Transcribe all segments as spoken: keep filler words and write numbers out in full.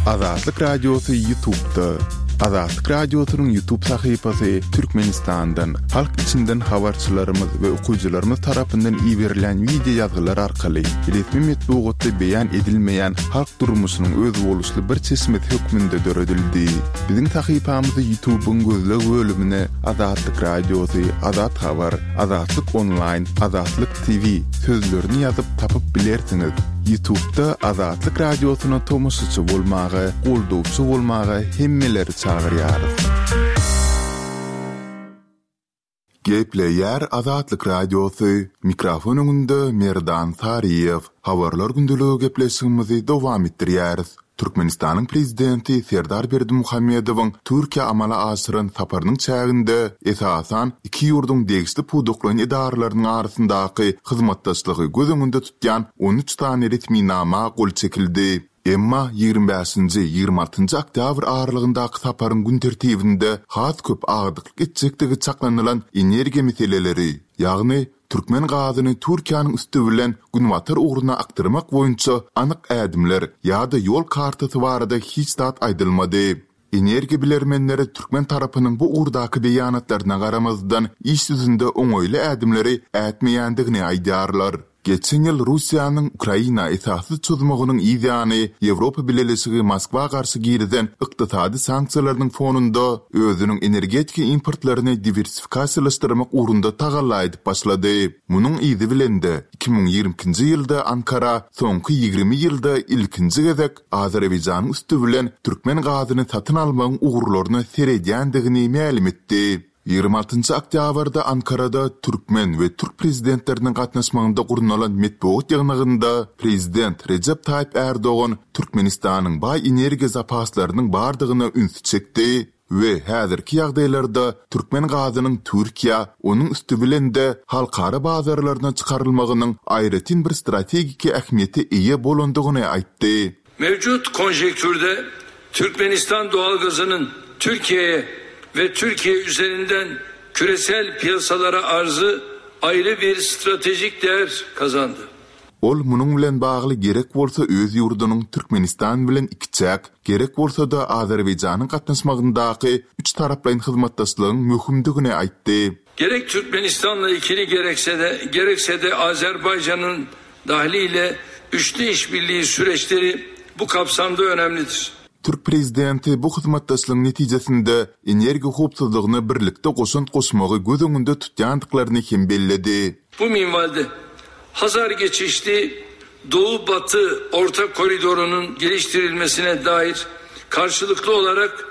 Azatlyk Radiosy YouTube'da. Azatlyk Radiosynyň YouTube sahypasy Türkmenistandan, halk içinden habarçylarymyz we okyjylarymyz tarapyndan iberilen wideo ýazgylar arkaly resmi metbugatda beýan edilmeýän halk durmuşynyň özboluşly bir çeşmesi hökmünde döredildi. Biziň sahypamyzy YouTube'yň gözleg bölümine Azatlyk Radiosy, Azat Habar, Azatlyk Online, Azatlyk T V sözlerini ýazyp tapyp bilersiňiz. YouTube'da Azatlyk Radiosyna tomaşaçy bolmaga, goldawçy bolmaga hemmeleri çagyrýarys. Gepleýär Azatlyk Radiosy, mikrofon öňünde Merdan Saryýew. Habarlar gündeligi gepleşigimizi dowam etdirýäris. Türkmenistanyň prezidenti Serdar Berdimuhamedowyň Türkiýä amala aşyran saparynyň çäginde esasan iki ýurduň degişli pudaklaýyn edaralarynyň arasyndaky hyzmatdaşlygy göz öňünde tutýan on üç sany resminama gol çekildi. Emma ýigrimi bäşinji, ýigrimi altynjy oktýabr aralygyndaky saparyň gün tertibinde has köp agdyklyk etjekdigi çaklanylan energiýa meseleleri, ýagny türkmen gazyny Türkiýäniň üsti bilen günbatar ugruna akdyrmak boýunça anyk ädimler ýa-da ýol kartasy barada hiç zat aýdylmady. Energiýa bilermenleri türkmen tarapynyň bu ugurdaky beýanatlaryna garamazdan iş ýüzünde oňaýly ädimleri ätmeýändigini aýdýarlar. Geçen ýyl Russiýanyň Ukraina esasy çözmeginiň ýany Ýewropa Bileleşigi Moskwa garşy girizen ykdysady sanksiýalarynyň fonunda özüniň energetika importlaryny diwersifikasiýalaşdyrmak ugrunda tagalla edip başlady. Munuň yzy bilende iki müň ýigrimi ikinji ýylda Ankara soňky ýigrimi ýylda ilkinji gezek Azerbaýjanyň üsti bilen türkmen gazyny satyn almagyň ugurlaryna seredýändigini mälim etdi. Ýigrimi altynjy oktýabrda Ankarada türkmen we türk prezidentleriniň gatnaşmagynda gurnalan metbugat ýygnagynda prezident Rejep Taýyp Erdogan Türkmenistanyň baý energiýa zapaslarynyň bardygyna ünsi çekdi we häzirki ýagdaýlarda türkmen gazynyň Türkiýä, onuň üsti bilen de halkara bazarlaryna çykarylmagynyň aýratyn bir strategik ähmiýete eýe bolandygyny aýtdy. Mevcut konjektürde Türkmenistan doğalgazının Türkiye'ye ve Türkiye üzerinden küresel piyasalara arzı ayrı bir stratejik değer kazandı. Ol munuň bilen bagly gerek bolsa öz ýurdunyň Türkmenistan bilen ikiçäk, gerek bolsa da Azerbaýjanyň gatnaşmagyndaky üç taraplaýyn hyzmatdaşlygyň möhümdigini aýtdy. Gerek Türkmenistan'la ikili gerekse de, gerekse de Azerbaycan'ın dahiliyle üçlü işbirliği süreçleri bu kapsamda önemlidir. Türk prezidenti bu hyzmatdaşlygyň netijesinde energiýa howpsuzlygyna birlikde goşant goşmagy göz öňünde tutýandyklaryny hem belledi. Bu minvalde Hazar geçişli Doğu Batı Orta Koridoru'nun geliştirilmesine dair karşılıklı olarak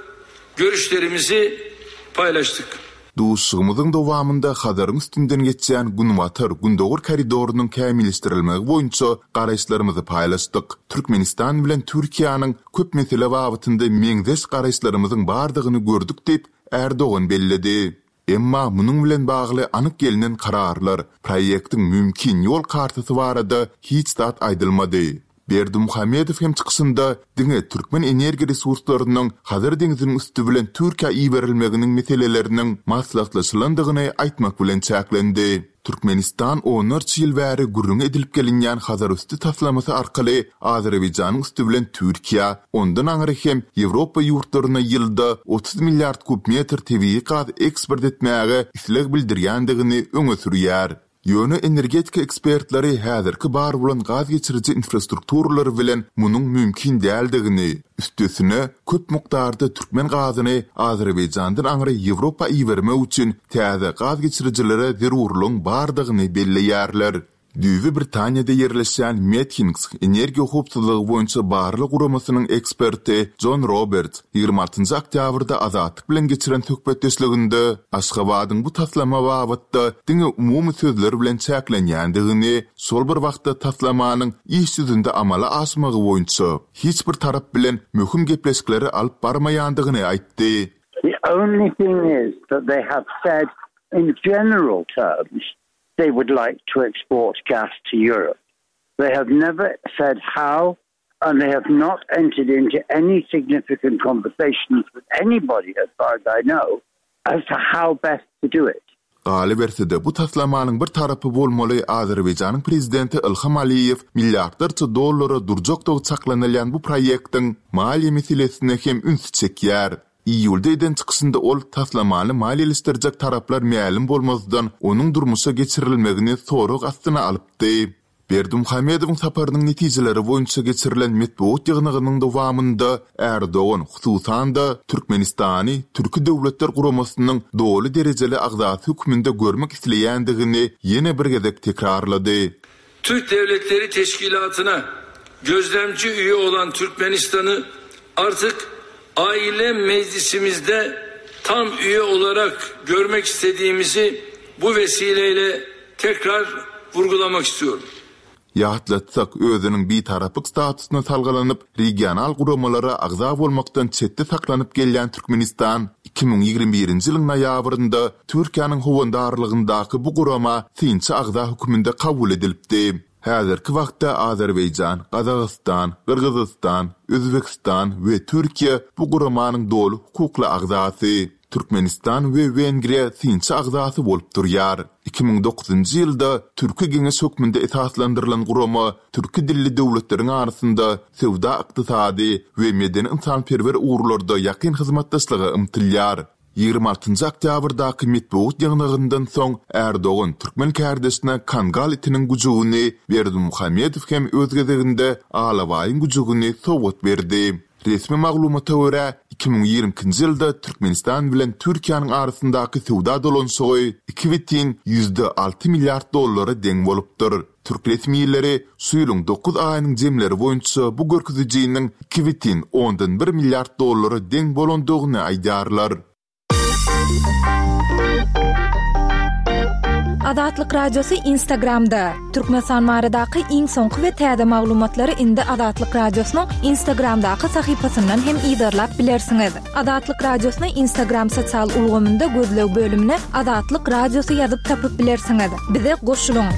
görüşlerimizi paylaştık. Duşuşygymyzyň dowamynda Hazaryň üstünden geçýän Günbatar Gündogar koridorynyň kämilleşdirilmegi boýunça garaýyşlarymyzy paýlaşdyk. Türkmenistan bilen Türkiýäniň köp mesele babatynda meňzeş garaýyşlarymyzyň bardygyny gördük diýip Erdogan belledi. Emma munuň bilen bagly anyk gelnen kararlar, proýektiň mümkin ýol kartasy barada hiç zat aýdylmady. Berdimuhamedow hem çykyşynda diňe türkmen energiýa resurslarynyň Hazar deňziniň üsti bilen Türkiýä iberilmeginiň meseleleriniň maslahatlaşylandygyny aýtmak bilen çäklendi. Türkmenistan onlarça ýyl bäri gürrüň edilip gelinýän Hazarüsti taslamasy arkaly Azerbaýjanyň üsti bilen Türkiýä, ondan aňry hem Ýewropa ýurtlaryna ýylda otuz milliard kub metr tebigy gaz eksport etmäge isleg bildirýändigini öňe sürýär. Ýöne energetika ekspertleri häzirki bar bolan gaz geçiriji infrastrukturalary bilen munuň mümkin däldigini, üstesine köp mukdarda türkmen gazyny Azerbaýjandan aňry Ýewropa ibermek üçin täze gaz geçirijilere zerurlygyň bardygyny belleýärler. Düýbi Britaniýada ýerleşýän Medhinks energiýa howpsuzlygy boýunça barlag guramasynyň eksperti John Roberts ýigrimi altynjy oktýabrda Azatlyk bilen geçiren söhbetdeşliginde Aşgabadyň bu taslama babatda diňe umumy sözler bilen çäklenýändigini, şol bir wagtda taslamanyň iş ýüzünde amala aşmagy boýunça hiç bir tarap bilen möhüm gepleşikleri alyp barmaýandygyny aýtdy. The only thing is that they have said in general terms they would like to export gas to Europe. They have never said how, and they have not entered into any significant conversations with anybody, as far as I know, as to how best to do it. Galyberse-de, bu taslamanyň bir tarapy bolmaly Azerbaýjanyň prezidenti Ilham Aliýew milliardlarça dollara durjakdygy çaklanylýan bu proýektiň maliýe meselesine hem ünsi çekýär. Iýulda eden çykyşynda ol taslamany maliýeleşdirjek taraplar mälim bolmazdan, onuň durmuşa geçirilmegini sorag astyna alypdy. Berdimuhamedowyň saparynyň netijeleri boýunça geçirilen metbugat ýygnagynyň dowamynda Erdogan, hususan-da, Türkmenistany Türki Döwletler Guramasynyň doly derejeli agzasy hökmünde görmek isleýändigini ýene bir gezek tekrarlady. Türk Devletleri Teşkilatı'na gözlemci üye olan Türkmenistan'ı artık aile meclisimizde tam üye olarak görmek istediğimizi bu vesileyle tekrar vurgulamak istiyorum. Ýatlatsak, özüniň bitaraplyk statusyna salgylanyp, regional guramalara agza bolmakdan çetde saklanyp gelýän Türkmenistan iki müň ýigrimi birinji ýylyň noýabrynda Türkiýäniň howandarlygyndaky bu gurama synçy agza hökmünde kabul edilipdi. Häzirki wagtda Azerbaýjan, Gazagystan, Gyrgyzystan, Özbegistan we Türkiýe bu guramanyň doly hukukly agzasy. Türkmenistan we Wengriýa synçy agzasy bolup durýar. Iki müň dokuzynjy ýylda Türki Geňeş hökmünde esaslandyrylan gurama türki dilli döwletleriň arasynda söwda-ykdysady we medeni-ynsanperwer ugurlarda ýakyn hyzmatdaşlyga ymtylýar. Ýigrimi altynjy oktýabrdaky metbugat ýygnagyndan soň Erdogan türkmen kärdeşine Kangal itiniň güjügini, Berdimuhamedow hem öz gezeginde alabaýyň güjügini sowgat berdi. Resmi maglumata görä, iki müň ýigrimi ikinji ýylda Türkmenistan bilen Türkiýäniň arasyndaky söwda dolanyşygy iki bütin ýüzde alty milliard dollara deň bolupdyr. Türk resmileri şu ýylyň dokuz aýynyň jemleri boýunça bu görkezijiniň iki bütin ondan bir milliard dollara deň bolandygyny aýdýarlar. Azatlyk Radiosy Instagramda. Türkmenistan baradaky iň soňky we täze maglumatlary indi Azatlyk Radiosynyň Instagramdaky sahypasyndan hem yzarlap bilersiňiz. Azatlyk Radiosyny Instagram sosial ulgamynda gözleg bölümine Azatlyk Radiosy ýazyp tapyp bilersiňiz. Bize goşulyň.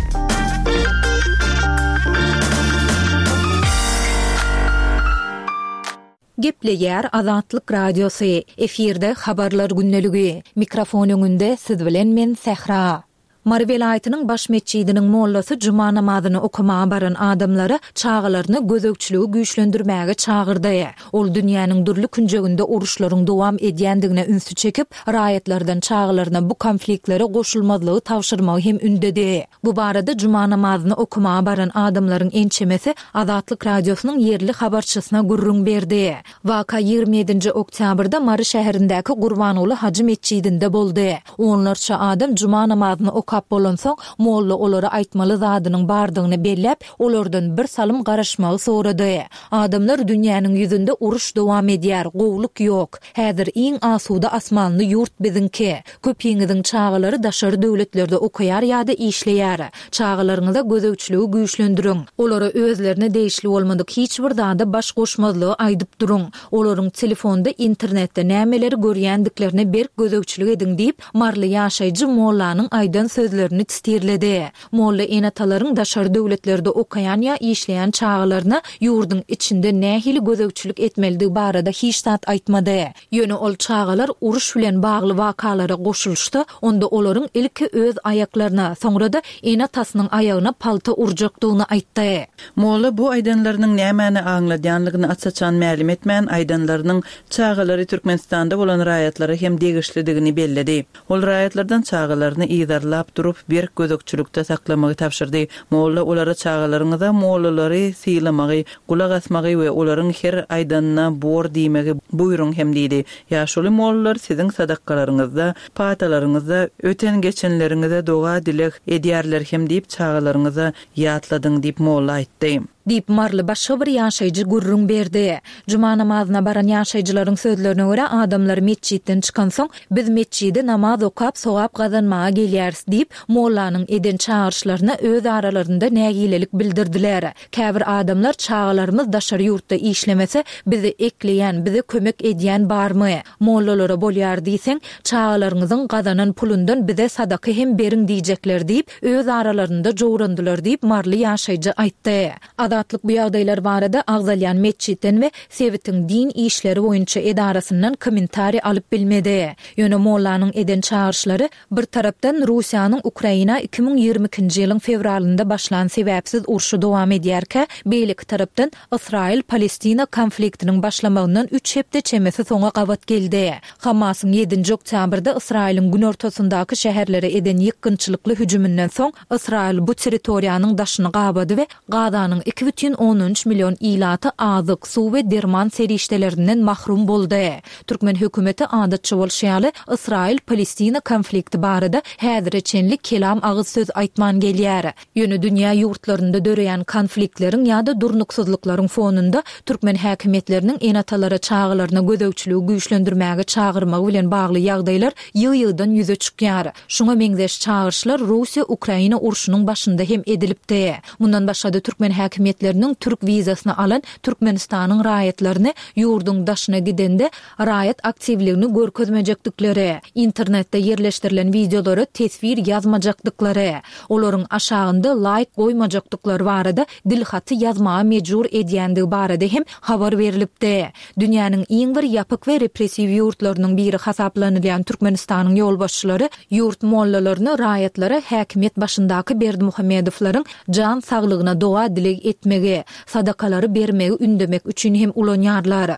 Gepleýär Azatlyk Radiosy. Efirde habarlar gündeligi. Mikrofon öňünde siz bilen men Sähra. Mary welaýatynyň baş metjidiniň mollasy juma namazyny okamaga baran adamlara çagalaryny gözegçiligi güýçlendirmäge çagyrdy. Ol dünýäniň dürli künjeginde uruşlaryň dowam edýändigine ünsi çekip, raýatlardan çagalaryna bu konfliktlere goşulmazlygy tabşyrmagy hem ündedi. Bu barada juma namazyny okamaga baran adamlaryň ençemesi Azatlyk Radiosynyň ýerli habarçysyna gürrüň berdi. Waka ýigrimi ýedinji oktýabrda Mary şäherindäki Gurbanguly hajy metjidinde boldy. Onlarça adam juma namazyny okap bolansoň, molla olara aýtmaly zadynyň bardygyny belläp, olardan bir salym garaşmagy sorady. Adamlar dünýäniň ýüzünde uruş dowam edýär, gowluk ýok. Häzir iň asuda asmanly ýurt biziňki. Köpiňiziň çagalary daşary döwletlerde okaýar ýa-da işleýär. Çagalaryňyza gözegçiligi güýçlendiriň. Olara özlerine degişli bolmadyk hiç bir zada baş goşmazlygy aýdyp duruň. Olaryň telefonda, internetde nämeleri görýändiklerine berk gözegçilik ediň diýip, Marly ýaşaýjy mollanyň aýdan sözlerini titirledi. Molla ene-atalaryň daşary döwletlerde okaýan ýa işleýän çagalaryna ýurduň içinde nähili gözegçilik etmelidigi barada hiç zat aýtmady. Ýöne ol çagalar uruş bilen bagly wakalara goşulyşsa, onda olaryň ilki öz aýaklaryna, soňra-da ene-atasynyň aýagyna palta urjakdygyny aýtdy. Molla bu aýdanlarynyň nämäni aňladýanlygyny aç-açan mälim etmän, aýdanlarynyň çagalary Türkmenistanda bolan raýatlara hem degişlidigini belledi. Ol raýatlardan çagalaryny yzarlap durup, berk gözegçilikde saklamagy tabşyrdy. Molla olara çagalaryňyza mollalary sylamagy, gulak asmagy we olaryň her aýdanyna bor diýmegi buýruň hem diýdi. Ýaşuly mollalar siziň sadakalaryňyzda, patalaryňyzda, öten geçenleriňize doga dileg edýärler hem diýip çagalaryňyza ýatladyň diýip molla aýtdy. Diýip Marly başga bir ýaşaýjy gürrüň berdi. Juma namazyna baran ýaşaýjylaryň sözlerine görä, adamlar metjitden çykansoň, biz metjide namaz okap, sogap gazanmaga gelýäris diýip, mollanyň eden çagyryşlaryna öz aralarynda nägilelik bildirdiler. Käbir adamlar çagalarymyz daşary ýurtda işlemese, bizi ekleýän, bize kömek edýän barmy? Mollalara bolýar diýseň, çagalaryňyzyň gazanan pulundan bize sadaka hem beriň diýjekler diýip, öz aralarynda jowrandylar diýip, Marly ýaşaýjy aýtdy. Azatlyk bu ýagdaýlar barada agzalýan metjitden we sebitiň din işleri boýunça edarasyndan kommentariý alyp bilmedi. Ýöne mollanyň eden çagyryşlary bir tarapdan Russiýanyň Ukraina iki müň ýigrimi ikinji ýylyň fewralynda başlan sebäpsiz urşy dowam edýärkä, beýleki tarapdan Ysraýyl-Palestina konfliktiniň başlamagyndan üç hepde çemesi soňa gabat geldi. Hamasyň ýedinji oktýabrda Ysraýylyň günortasyndaky şäherlere eden ýykgynçylykly hüjüminden soň Ysraýyl bu territoriýanyň daşyny gabady we Gazanyň iki bütin ondan üç million ilaty azyk, suw we derman serişdelerinden mahrum boldy. Türkmen hökümeti adatça bolşy ýaly, Ysraýyl-Palestina konflikti barada häzire çenli kelam agyz söz aýtman gelýär. Ýöne dünýä ýurtlarynda döreýän konfliktleriň ýa-da durnuksyzlyklaryň fonunda türkmen häkimiýetleriniň ene-atalara çagalaryna gözegçiligi güýçlendirmäge çagyrmagy bilen bagly ýagdaýlar ýygy-ýygydan ýüze çykýar. Şuňa meňzeş çagyryşlar Russiýa-Ukraina urşunyň başynda hem edilipdi. Mundan başga-da türkmen häkimiýetleriniň türk wizasyny alan Türkmenistanyň raýatlaryny ýurduň daşyna gidende raýat aktiwligini görkezmejekdikleri, internetde ýerleşdirilen wideolara teswir ýazmajakdyklary, olaryň aşagynda laýk goýmajakdyklary barada dilhaty ýazmaga mejbur edýändigi barada hem habar berlipdi. Dünýäniň iň bir ýapyk we repressiw ýurtlarynyň biri hasaplanylýan Türkmenistanyň ýolbaşçylary ýurt mollalaryny raýatlara häkimiýet başyndaky Berdimuhamedowlaryň jan saglygyna doga-dileg etmegi, sadakalary bermegi ündemek üçin hem ulanýarlar.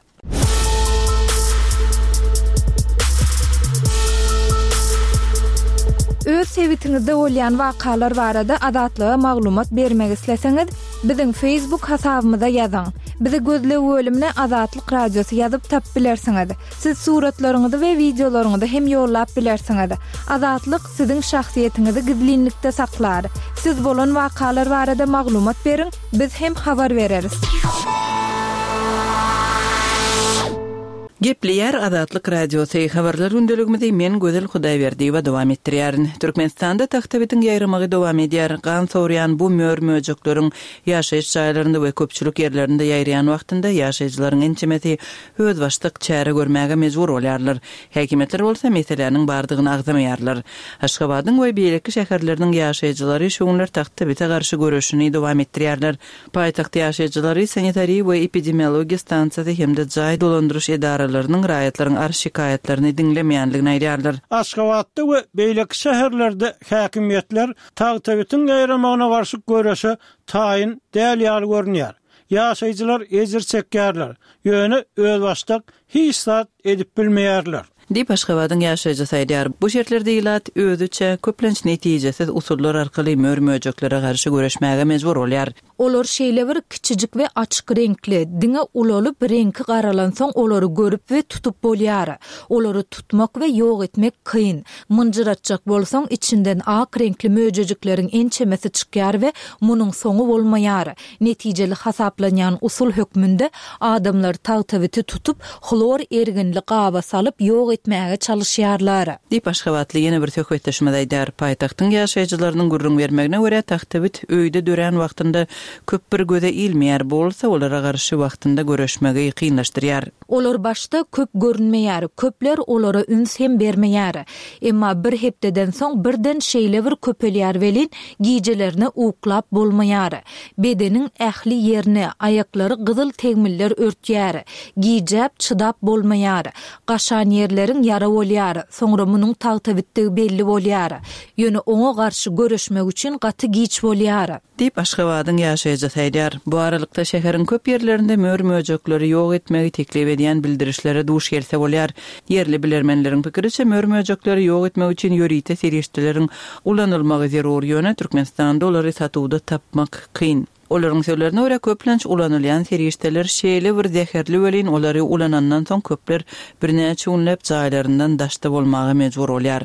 Öz sebitiňizde bolýan wakalar barada Azatlyga maglumat bermek isleseňiz, biziň Facebook hasabymyza ýazyň. Bizi gözleg bölümine Azatlyk Radiosy ýazyp tapyp bilersiňiz. Siz suratlaryňyzy we wideolaryňyzy hem ýollap bilersiňiz. Azatlyk siziň şahsyýetiňizi gizlinlikde saklar. Siz bolan wakalar barada maglumat beriň, biz hem habar bereris. Gepleýär Azatlyk Radiosy. Habarlar gündeligimizi men Gözel Hudaýberdiýewa dowam etdirýärin. Türkmenistanda tagtabitiň ýaýramagy dowam edýär. Gan sorýan bu mör-möjekleriň ýaşaýyş jaýlarynda we köpçülik ýerlerinde ýaýraýan wagtynda ýaşaýjylaryň ençemesi özbaşdak çäre görmäge mejbur bolýarlar. Häkimiýetler bolsa meseläniň bardygyny agzamaýarlar. Aşgabadyň we beýleki şäherleriniň ýaşaýjylary şu günler tagtabite garşy göreşini dowam etdirýärler. Paýtagt ýaşaýjylary sanitariýa we epidemiologiýa stansiýasy hem-de jaý dolandyryş edaralarynyň raýatlaryň arz şikaýatlaryny diňlemeýänligini aýdýarlar. Aşgabatda we beýleki şäherlerde häkimiýetler tagtabitiň ýaýramagyna garşy göreşe taýyn däl ýaly görünýär. Ýaşaýjylar ejir çekýärler, ýöne özbaşdak hiç zat edip bilmeýärler. Diýip Aşgabadyň ýaşaýjysy aýdýar. Bu şertlerde ilat özüçe köplenç netijesiz usullar arkaly mör-möjeklere garşy göreşmäge mejbur bolýar. Olar şeýle bir kiçijik we açyk reňkli, diňe ulalyp reňki garalansoň olary görüp we tutup bolýar. Olary tutmak we ýok etmek kyn. Mynjyratjak bolsaň içinden ak reňkli möjejikleriň ençemesi çykýar we munuň soňy bolmaýar. Netijeli hasaplanýan usul hökmünde adamlar tagtabiti tutup, hlor erginli gaba salyp ýok etmäge çalışýarlar. Diýip Aşgabatly ýene bir söhbetdeşimiz aýdar. Paýtagtyň ýaşaýjylarynyň gürrüň bermegine görä tagtabit öýde dörän wagtynda köp bir göze ilmeýär, bolsa olara garşy wagtynda göreşmegi kynlaşdyrýar. Olar başda köp görünmeýär, köpler olara üns hem bermeýär. Emma bir hepdeden soň birden şeýle bir köpelýär welin, gijelerine uklap bolmaýar. Bedeniň ähli ýerine aýaklary gyzyl tegmiller örtýär. Gijäp çydap bolmaýar. Gaşan ýerleriň ýara bolýar. Soňra munuň tagtabitdigi belli bolýar. Ýöne oňa garşy göreşmek üçin gaty giç bolýar. Diýip Aşgabadyň ýaşaýjysy aýdýar. Bu aralykda şäheriň köp ýerlerinde mör-möjekleri ýok etmegi teklip edýän bildirişlere duş gelse bolýar. Ýerli bilermenleriň pikiriçe mör-möjekleri ýok etmek üçin ýörite serişdeleriň ulanylmagy zerur, ýöne Türkmenistanda olary satuwda tapmak kyn. Olaryň sözlerine görä köplenç ulanylýan serişdeler şeýle bir zäherli welin olary ulanandan soň köpler birnäçe günläp jaýlaryndan daşda bolmaga mejbur bolýar.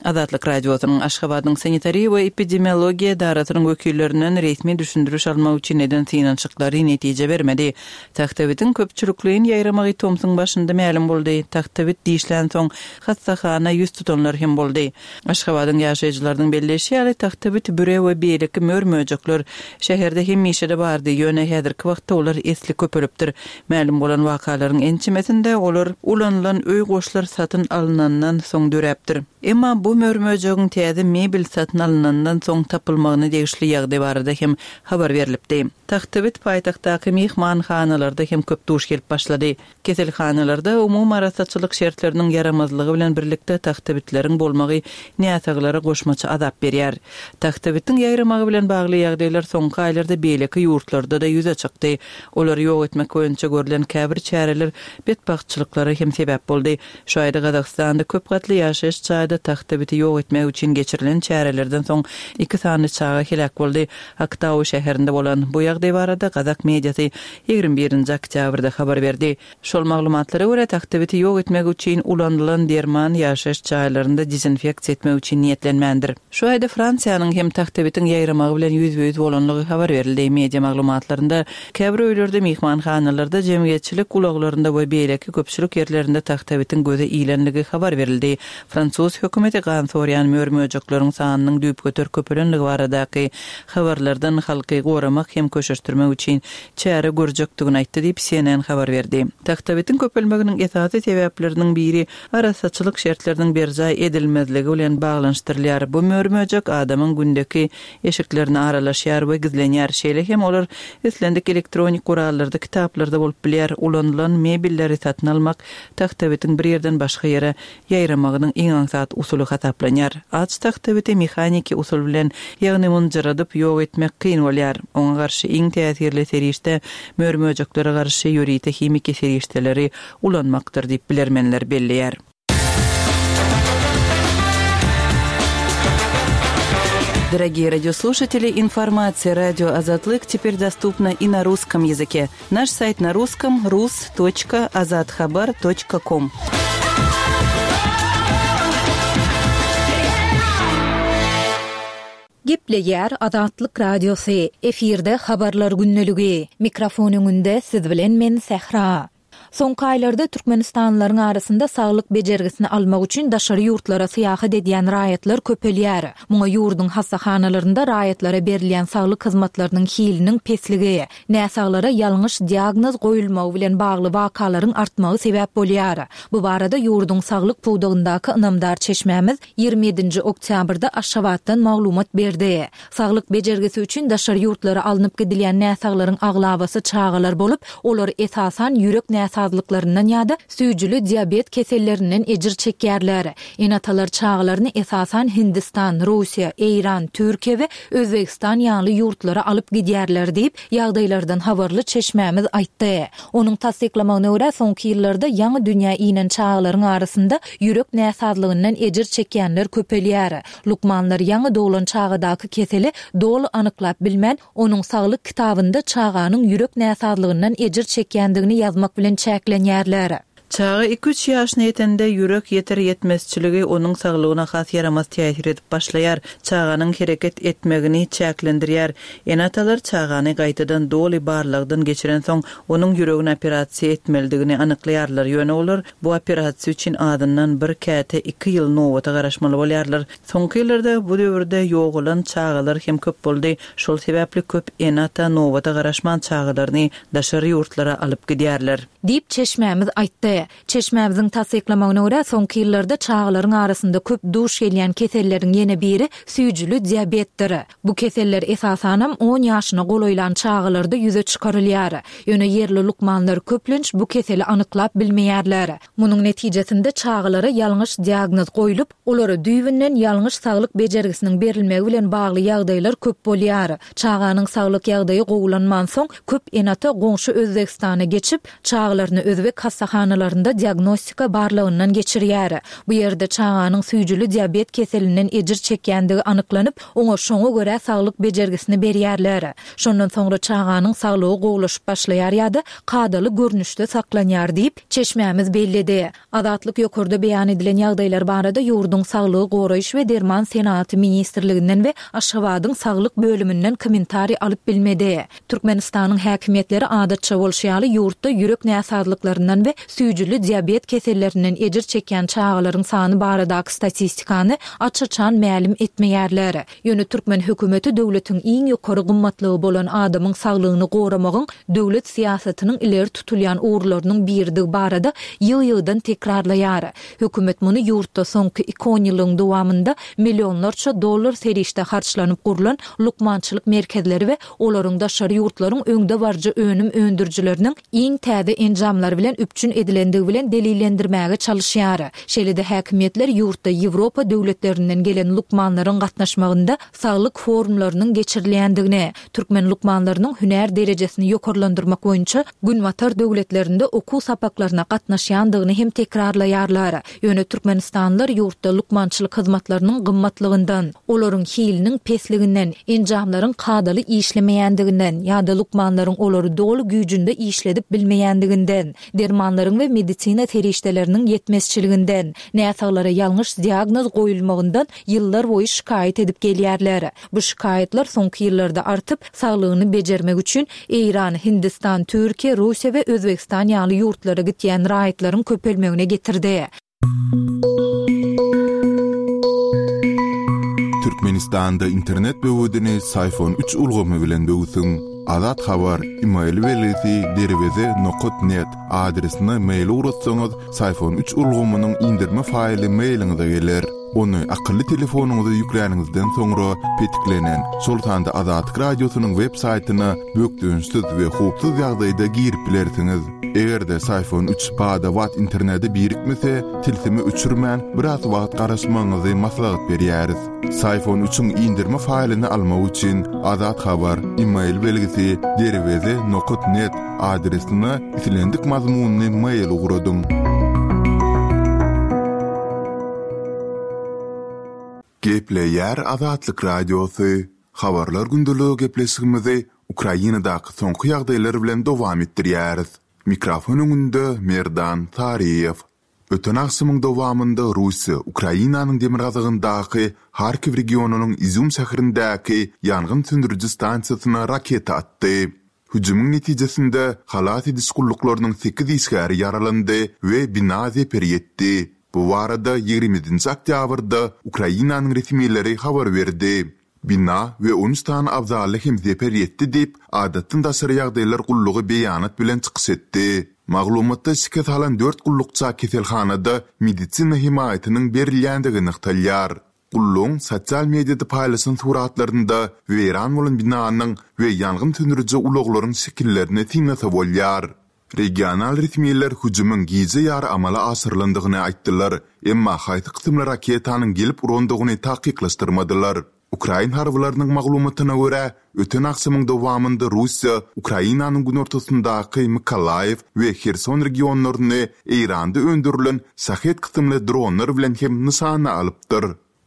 Azatlyk Radiosynyň Aşgabadyň sanitariýa we epidemiologiýa edarasynyň wekillerinden resmi düşündiriş almak üçin eden synanyşyklary netije bermedi. Tagtabitiň köpçülikleýin ýaýramagy tomsuň başynda mälim boldy. Tagtabit dişlän soň hassahana ýüz tutanlar hem boldy. Aşgabadyň ýaşaýjylarynyň belleşi ýaly tagtabit büre we beýleki mör-möjekler şäherde hem Hemişe-de bardy, ýöne häzirki wagtda olar esli köpelipdir. Mälim bolan wakalaryň ençemesinde olar ulanylan öý goşlar satyn alnandan soň döräpdir. Emma bu mör-möjegiň täze mebel satyn alnandan soň tapylmagyna degişli ýagdaý barada hem habar berlipdi. Tagtabit paýtagtdaky myhmanhanalarda hem köp duş gelip başlady. Keselhanalarda umumy arassaçylyk şertleriniň ýaramazlygy bilen birlikde tagtabitleriň bolmagy näsaglara goşmaça azap berýär. Tagtabitiň ýaýramagy bilen bagly ýagdaýlar soňky aýlarda beýleki ýurtlarda-da ýüze çykdy. Olary ýok etmek boýunça görlen käbir çäreler betbagtçylyklara hem sebäp boldy. Şu aýda Gazagystanda köp gatly ýaşaýyş jaýda tagtabiti ýok etmek üçin geçirilen çärelerden soň iki sany çaga heläk boldy. Aktau şäherinde bolan bu ýagdaý barada Gazak mediasy ýigrimi birinji oktýabrda habar berdi. Şol maglumatlara görä tagtabiti ýok etmek üçin ulanylan derman ýaşaýyş jaýlarynda dezinfeksiýa etmek üçin niýetlenmändir. Şu aýda Fransiýanyň hem tagtabitiň ýaýramagy bilen ýüzbe-ýüz bolanlygy habar berildi. Media maglumatlarynda käbir öýlerde, myhmanhanalarda, jemgyýetçilik ulaglarynda we beýleki köpçülik ýerlerinde tagtabitiň göze ilenligi habar berildi. Fransuz hökümeti gan sorýan mör-möjekleriň sanynyň düýpgöter köpelenligi baradaky habarlardan halky goramak hem köşeşdirmek üçin çäre görjekdigini aýtdy diýip C N N habar berdi. Tagtabitiň köpelmeginiň esasy sebäpleriniň biri arassaçylyk şertleriniň berjaý edilmezligi bilen baglanyşdyrylýar. Bu mör-möjek adamyň gündeki eşiklerine aralaşýar we gizlenýär. Şeýle hem olar islendik elektronik gurallarda, kitaplarda bolup bilýär. Ulanylan mebelleri satyn almak tagtabitiň bir ýerden başga ýere ýaýramagynyň iň aňsat usuly hasaplanýar. Aç tagtabiti mehaniki usul bilen, ýagny mynjyradyp ýok etmek kyn bolýar. Oňa garşy iň täsirli serişde mör-möjeklere garşy ýörite himiki serişdeleri ulanmakdyr diýip bilermenler belleýär. Дорогие радиослушатели, информация радио Азатлык теперь доступна и на русском языке. Наш сайт на русском рус точка азатхабар точка ком. Gepleýär Azatlyk Radiosy. Efirde habarlar günlügi. Mikrofon öňünde siz bilen men Sähra. Soňky aýlarda Türkmenistanlylaryň arasynda saglyk bejergisini almak üçin daşary ýurtlara syýahat edýän raýatlar köpelýär. Muňa ýurduň hassahanalarynda raýatlara berilýän saglyk hyzmatlarynyň hiliniň pesligi, näsaglara ýalňyş diagnoz goýulmagy bilen bagly wakalaryň artmagy sebäp bolýar. Bu barada ýurduň saglyk pudagyndaky ynamdar çeşmämiz ýigrimi ýedinji oktýabrda Aşgabatdan maglumat berdi. Saglyk bejergisi üçin daşary ýurtlara alnyp gidilýän näsaglaryň aglabasy çagalar bolup, olar esasan ýürek näsazlyklaryndan ýa-da süýjüli diabet kesellerinden ejir çekýärler. Ene-atalar çagalaryny esasan Hindistan, Russiýa, Eýran, Türkiýe we Özbegistan ýaly ýurtlara alyp gidýärler diýip, ýagdaýlardan habarly çeşmämiz aýtdy. Onuň tassyklamagyna görä soňky ýyllarda ýaňy dünýä inen çagalaryň arasynda ýürek näsazlygyndan ejir çekýänler köpelýär. Lukmanlar ýaňy doglan çagadaky keseli doly anyklap bilmän, onuň saglyk kitabynda çaganyň ýürek näsazlygyndan ejir çekýändigini ýazmak bilen çäklenýärler. Çaga iki-üç ýaşyna ýetende ýürek ýeter ýetmezçiligi onuň saglygyna has ýaramaz täsir edip başlaýar. Çaganyň hereket etmegini çäklendirýär. Ene-atalar çagany gaýtadan doly barlagdan geçiren soň onuň ýüregini operasiýa etmelidigini anyklaýarlar. Ýöne olar bu operasiýa üçin azyndan bir käte iki ýyl nowata garaşmaly bolýarlar. Soňky ýyllarda bu döwürde ýogalan çagalar hem köp boldy. Şol sebäpli köp ene-ata nowata garaşman çagalaryny daşary ýurtlara alyp gidýärler. Diýip çeşmämiz aýtdy. Çeşmämiziň tassyklamagyna görä soňky ýyllarda çagalaryň arasynda köp duş gelýän keselleriň ýene biri süýjüli diabetdir. Bu keseller esasanam on ýaşyna golaýlan çagalarda ýüze çykarylýar. Ýöne ýerli lukmanlar köplenç bu keseli anyklap bilmeýärler. Munuň netijesinde çagalara ýalňyş diagnoz goýlup, olara düýbünden ýalňyş saglyk bejergisiniň berilmegi bilen bagly ýagdaýlar köp bolýar. Çaganyň saglyk ýagdaýy gowulanman soň köp ene-ata goňşy Özbegistana geçip, çagalaryny özbek hassahanalarynda diagnostika barlagyndan geçirýär. Bu ýerde çaganyň süýjüli diabet keselinden ejir çekýändigi anyklanyp, oňa şoňa görä saglyk bejergisini berýärler. Şondan soňra çaganyň saglygy gowulaşyp başlaýar ýa-da kadaly görnüşde saklanýar diýip çeşmämiz belledi. Azatlyk ýokarda beýan edilen ýagdaýlar barada ýurduň saglygy goraýyş we derman senagaty ministrliginden we Aşgabadyň saglyk bölüminden kommentariý alyp bilmedi. Türkmenistanyň häkimiýetleri adatça bolşy ýaly ýurtda ýürek näsazlyklaryndan we süýjüli süýjüli diabet kesellerinden ejir çekýän çagalaryň sany baradaky statistikany aç-açan mälim etmeýärler. Ýöne türkmen hökümeti döwletiň iň ýokary gymmatlygy bolan adamyň saglygyny goramagyň döwlet syýasatynyň ileri tutulýan ugurlarynyň biridigi barada ýygy-ýygydan tekrarlaýar. Hökümet muny ýurtda soňky iki onýyllygyň dowamynda millionlarça dollar serişde harçlanyp gurlan lukmançylyk merkezleri we olaryň daşary ýurtlaryň öňdebaryjy önüm öndürijileriniň iň täze enjamlary bilen üpjün edilendigi bilen delillendirmäge çalyşýar. Şeýle-de häkimiýetler ýurtda Ýewropa döwletlerinden gelen lukmanlaryň gatnaşmagynda saglyk forumlarynyň geçirilýändigini, türkmen lukmanlarynyň hünär derejesini ýokarlandyrmak boýunça Günbatar döwletlerinde okuw sapaklaryna gatnaşýandygyny hem tekrarlaýarlar. Ýöne türkmenistanlylar ýurtda lukmançylyk hyzmatlarynyň gymmatlygyndan, olaryň hiliniň pesliginden, enjamlaryň kadaly işlemeýändiginden ýa-da lukmanlaryň olary doly güýjünde işledip bilmeýändiginden, dermanlaryň we medisina serişdeleriniň ýetmezçiliginden, näsaglara ýalňyş diagnoz goýulmagyndan ýyllarboýy şikaýat edip gelýärler. Bu şikaýatlar soňky ýyllarda artyp, saglygyny bejermek üçin Eýran, Hindistan, Türkiýe, Russiýa we Özbegistan ýaly ýurtlara gitýän raýatlaryň köpelmegine getirdi. Türkmenistanda internet böwedini Syfon üç ulgamy bilen böwsüň. Azat Habar, email belgisi derweze nokat net adresine mail ugratsaňyz, Syfon üç ulgamynyň indirme faýly mailiňize geler. Ony akylly telefonyňyza ýükläniňizden soňra petiklenen, şol sanda Azatlyk Radiosynyň web saýtyna bökdençsiz we howpsuz ýagdaýda girip bilersiňiz. Eger-de Syfon üç bada-bat internete birikmese, tilsimi öçürmän, biraz wagt garaşmagyňyzy maslahat berýäris. Syfon üçiň indirme faýlyny almak üçin Azat Habar, email belgisi derweze nokat net adresine islendik mazmunly mail ugradyň. Gepleýär Azatlyk Radiosy, Habarlar gündeligi gepleşigimizi Ukrainadaky soňky ýagdaýlar bilen dowam etdirýäris. Mikrofon öňünde Merdan Saryýew. Öten agşamyň dowamynda Russiýa Ukrainanyň demirgazygyndaky Harkiw regionynyň Izýum şäherindäki ýangyn söndüriji stansiýasyna raketa atdy. Hüjümiň netijesinde halas ediş gulluklarynyň sekiz işgäri ýaralandy we bina zeper ýetdi. Bu barada ýigrimi ýedinji oktýabrda Ukrainanyň resmileri habar berdi. Bina we on üç sany abzally hem zeper ýetdi diýip, Adatdan daşary ýagdaýlar gullugy beýanat bilen çykyş etdi. Maglumatda şikes alan dört gullukça keselhanada medisina hemaýatynyň berilýändigi nygtalýar. Gullugyň sosial mediada paýlaşan suratlarynda weýran bolan binanyň we ýangyn söndüriji ulaglaryň şekillerini synlasa bolýar. Regional resmiler hüjümiň gije ýary amala aşyrylandygyny aýtdylar, emma haýsy kysymly raketanyň gelip urandygyny takyklaşdyrmadylar. Ukrain harbylarynyň maglumatyna görä, öten agşamyň dowamynda Russiýa Ukrainanyň günortasyndaky Mykolaýiw we Herson regionlaryny Eýranda öndürilen Şahed kysymly dronlar bilen hem nyşana alypdyr.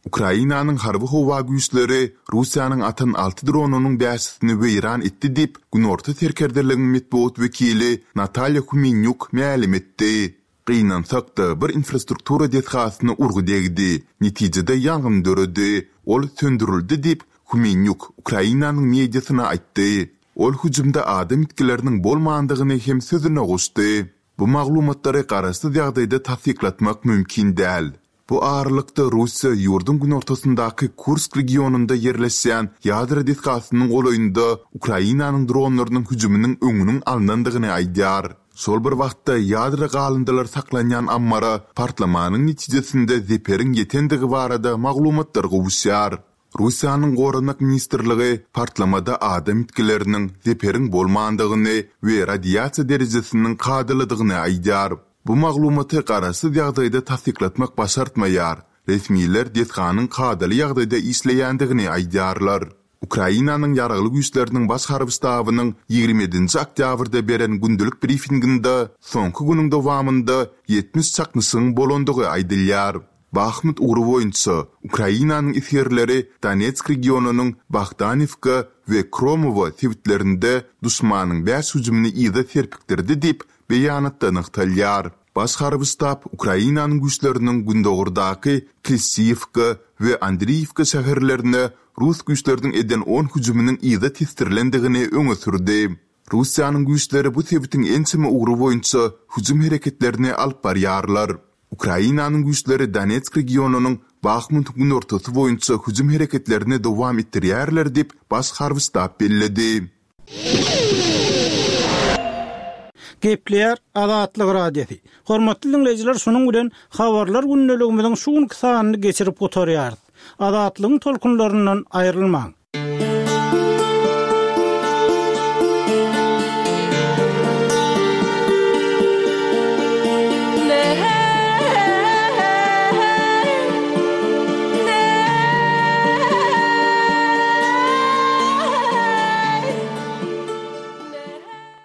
Ukrainanyň harby-howa güýçleri Russiýanyň atan alty dronynyň bäşisini weýran etdi diýip, Günorta serkerdeligiň metbugat wekili Natalýa Humenýuk mälim etdi. Gynansak-da, bir infrastruktura desgasyna urgy degdi, netijede ýangyn döredi, ol söndürildi diýip, Humenýuk Ukrainanyň mediasyna aýtdy. Ol hüjümde adam ýitgileriniň bolmandygyny hem sözüne goşdy. Bu maglumatlary garaşsyz ýagdaýda tassyklatmak mümkin däl. Bu aralykda, Russiýa ýurduň günortasyndaky Kursk regionynda ýerleşýän ýadro desgasynyň golaýynda Ukrainanyň dronlarynyň hüjüminiň öňüniň alnandygyny aýdýar. Şol bir wagtda, ýadro galyndylary saklanýan ammara partlamanyň netijesinde zeperiň ýetendigi barada maglumatlar gowuşýar. Russiýanyň Goranmak ministrligi partlamada adam ýitgileriniň, zeperiň bolmandygyny we radiasiýa derejesiniň kadalydygyny aýdýar. Bu maglumaty garaşsyz ýagdaýda tassyklatmak başartmaýar, resmiler desganyň kadaly ýagdaýda işleýändigini aýdýarlar. Ukrainanyň Ýaragly Güýçleriniň Baş harby ştabynyň ýigrimi ýedinji oktýabrda beren gündelik brifinginde soňky günüň dowamynda ýetmiş çaknyşygyň bolandygy aýdylýar. Bahmut ugry boýunça Ukrainanyň esgerleri Donetsk regionynyň Bohdanivka we Kromowo sebitlerinde duşmanyň bäş hüjümini yza serpikdirdi diýip, beýanatda nygtalýar. Baş harby ştab Ukrainanyň güýçleriniň gündogardaky Klişçiýewka we Andriýewka şäherlerine rus güýçleriniň eden on hüjüminiň yza tesdirilendigini öňe sürdi. Russiýanyň güýçleri bu sebitiň ençeme ugry boýunça hüjüm hereketlerini alyp barýarlar. Ukrainanyň güýçleri Donetsk regionynyň Bahmutyň günortasy boýunça hüjüm hereketlerini dowam etdirýärler diýip, Baş harby ştab belledi. Gepleýär Azatlyk Radiosy. Hormatly diňleýjiler, şunuň bilen Habarlar gündeligimiziň şu günki sanyny geçirip gutarýarys. Azatlygyň tolkunlaryndan aýrylmaň!